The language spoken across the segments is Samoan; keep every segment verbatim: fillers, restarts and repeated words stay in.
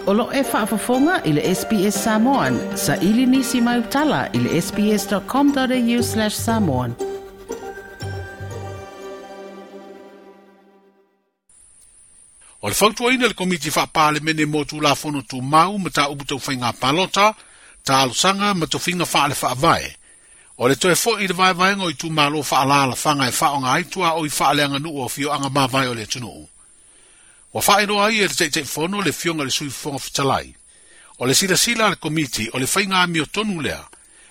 O lo e faafofoga i le S B S Samoan, sa ili nisi mai utala i le sbs.com.au slash samoan. O le fautuaina le komiti whaapalemene mo tūlafono tūmau ma tā upu tau whainga palota, tā alosanga ma tofinga whaale whaavae. O le toe foi i le vaevaenga o i tūmalo whaalala whanga e whaonga aitua o i whaaleanga nuu o fio anga mawai o le tunuu. Wa whaeroa ai e le teitei fono le fionga le sui fonga fitalai. O le sila sila le komiti o le whainga amio tonu lea,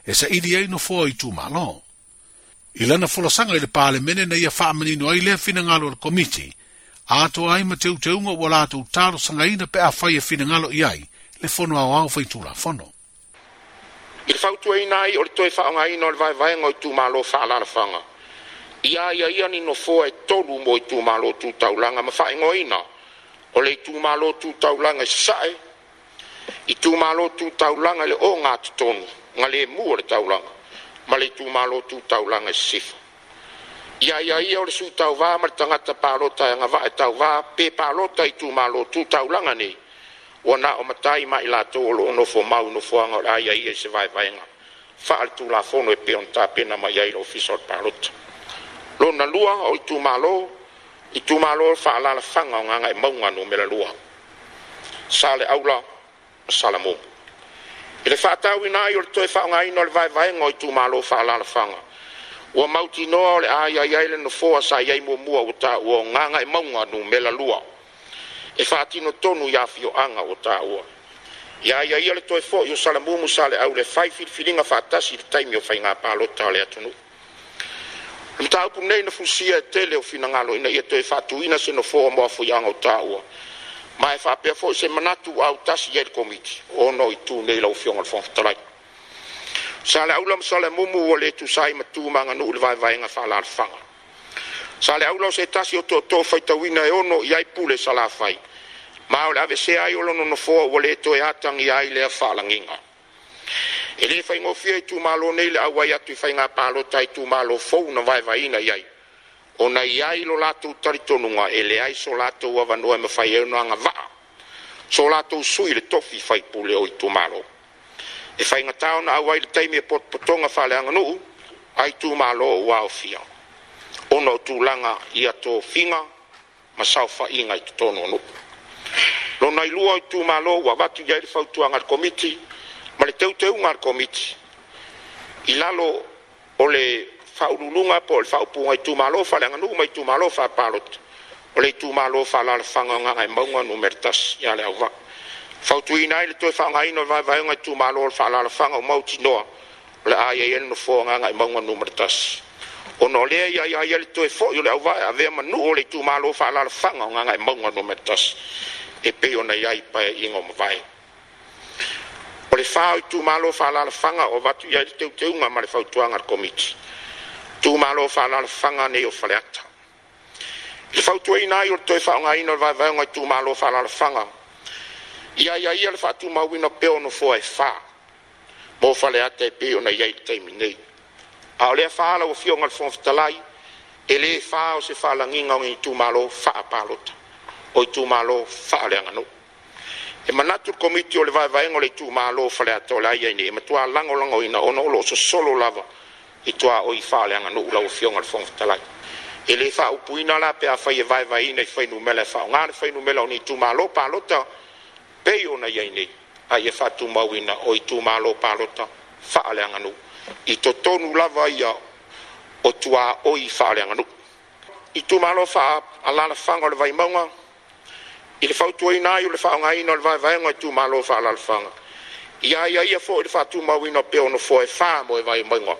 e sa ili ai no foa i tūmalo. I lana folosanga i le pālemene na ia whaamanino ai lea finangalo o le komiti, atoa ai ma teuteunga ua latou talo sangaina pe a whai e finangalo i ai, le fono au au whai tūla fono. I le fautuaina ai o le toe faaaogaina o le vaevaega o itumalo faaalaalafaga. Ia ia ia ni nofoa e tolu mo itumalo tu taulaga ma faaigoaina o le itumalo tu taulaga i Sasae, itumalo tu taulaga i le ogatotonu galemu o le taulaga ma le itumalo tu taulaga i Sisifo. Ia ia ia o le sui tauvā ma le tagata palota e agavaa e tauvā pe palota i itumalo tu taulaga nei, ua na o matai ma i latou o loo nofo mau nofoaga o le aia ia i se vaevaega faaletulafono e pei ona tapena mai ai le ofisa o le palota. Lona lua o itumalo, itumalo faaalaalafaga o Gagaemauga numera lua, Saleaula ma Salamumu. I le faatauina ai o le toe faaaogaina o le vaevaega o itumalo faaalaalafaga, ua mautinoa o le aia ai le nofoa sa i ai muamua ua taua o Gagaemauga numera lua, e faatino tonu i afioaga ua taua. Ia ia ia le toe fo'i o Salamumu Saleaula e fai filifiliga faatasi i le taimi o faiga palota o le atunuu. O le mataupu nei na fusia e tele o finagalo ina ia toe faatuina se nofoa mo afoiaga o taua, ma e faapea foi se manatu ua autasi i ai le komiti ona o itu nei lau Afioga i le Fofoga Fetalai. Saleaula ma Salamumu ua le tusa ai ma tu ma aganuu i le vaevaega faaalaalafaga. Saleaula o se tasi o tootoo faitauina e ono i ai pule salafai, ma o le avesea ai o lona nofoa ua le toe atagia ai lea faalagiga. E le faigofie itumalo nei le auai atu i faiga palota i itumalo fou na vaevaeina i ai, ona i ai lo latou talitonuga e leai so latou avanoa e mafai ai ona agavaa so latou sui le tofi faipule o itumalo. E faigatā ona auai le taimi e potopotoga faaleaganuu a itumalo ua aofia, ona o tulaga ia tofiga ma saofaiga i totonu o nuu. Lona ilua o itumalo ua avatu i ai le fautuaga a le komiti ma le teuteuga a le komiti i lalo o le faaululuga po o le faaupuga itumalo faaleaganuu ma itumalo faapalota o le itumalo faaalaalafaga o Gagaemauga numera tasi ia le auvaa. Fautuina ai le toe faaaogaina o le vaevaega itumalo o le faaalaalafaga o mautinoa o le a i ai le nofoa o Gagaemauga numera tasi, ona o lea ia ia ia le toe fo'i o le auvaa e avea ma nuu o le itumalo faaalaalafaga o Gagaemauga numera tasi e pei ona i ai paeaiga o mavae. O le fa o itumalo faaalaalafaga o avatu i ai le teuteuga ma le fautuaga a le komiti, itumalo faaalaalafaga nei o Faleata. I le fautuaina ai o le toe faaaogaina o le vaevaega o itumalo faaalaalafaga, ia ia ia le faatumauina pea o nofoa e fa mo Faleata e pei ona i ai le taimi nei. A o lea fa lau Afioga i le Fofoga Fetalai, e le fa o se faalagiga o itumalo faapalota o itumalo faaleaganuu. E manatu le komiti o le vaevaega o le itumalo Faleata o le a i ai nei e matua lagolagoina ona o loo sosolo lava i tuaoi faaleaganuu lau Afioga i le Fofoga Fetalai. E le faaupuina la pe afai e vaevaeina i fuainumera e faaaoga le fuainumera o ni itumalo palota pei ona i ai nei, a ia faatumauina o itumalo palota faaleaganuu i totonu lava ia o tuaoi faaleaganuu. Itumalo faaalaalafaga o le Vaimauga, i le fautuaina ai o le faaaogaina o le vaevaega o itumalo faaalaalafaga, ia ia ia foi le faatumauina pea o nofoa e fa mo e Vaimauga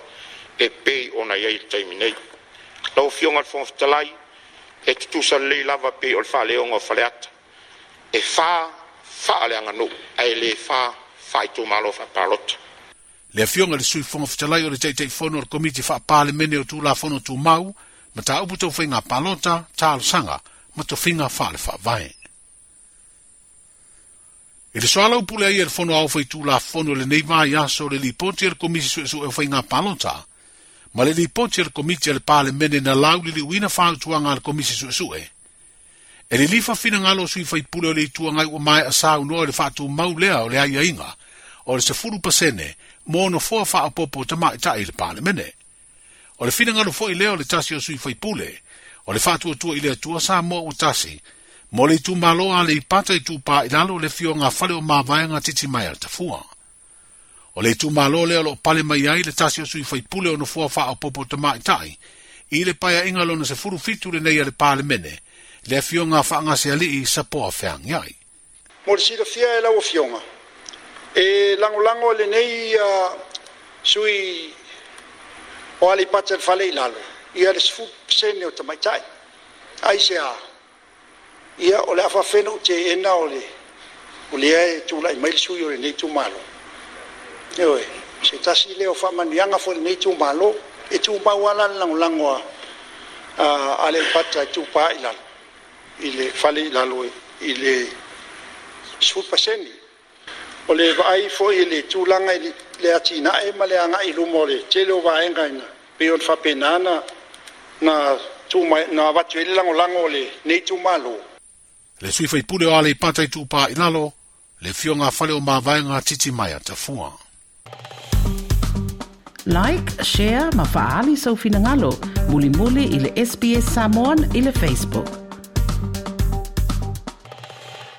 e pei ona i ai le taimi nei. Lau Afioga i le Fofoga Fetalai, e tutusa lelei lava pei o le faaleoga o Faleata, e fa faaleaganuu ae le fa faaitumalo faapalota. Le afioga i le sui Fofoga Fetalai o le Taitaifono o le Komiti Faapalemene o Tulafono Tumau, ma tāupu tau whainga palota, talosaga, ma tofinga faale faavae. I le soala upule ai e le fono au whai tulafono le nei mai aso le lipoti e le komisi suesue o whainga palota, ma le lipoti e le komiti a le palemene na lauliliuina whautuanga a le komisi suesue. E lilifa finagalo o sui faipule o le Itu Agai ua maea saunoa i le faatumau lea o le aiaiga o le sefulu pasene mo nofoa faaopoopo tamaitai i le Palemene. O le finagalo foi lea o le tasi o sui faipule, o le faatuatua i le Atua Samoa ua tasi, mo le itumalo Aleipata Itupa i Lalo le afioga a Faleomavaega Titimaea Tafua. O le itumalo lea o loo pale mai ai le tasi o sui faipule o nofoa faaopoopo tamaitai, i le paeaiga lona sefulu fitu lenei a le Palemene, le afioga a Faagasealii Sapoa Feagiai. Mo le silafia e lau afioga, e lagolago lenei uh, sui o Aleipata le fale i lalo, ia le sefulu pasene o tamaitai. Ai se a, ia o le afaafena u te ena o le o lea e tulai mai le sui o lenei itumalo. Ioe, se tasi lea o faamanuiaga foi lenei itumalo, e tumau ala le lagolago a a Aleipata Itupa i Lalo, i le fale i lalo i le sefulu pasene. O le vaai foi i le tulaga i le atinae ma le agai i luma o le tele o vaega ina pei ona faapena na na tuma na avatu ai le lagolago o lenei itumalo. Le sui faipule o Aleipata Itupa i Lalo, le afioga a Faleomavaega Titimaea Tafua. Like, share ma faali sau finagalo, mulimuli i le S B S Samoan i le Facebook.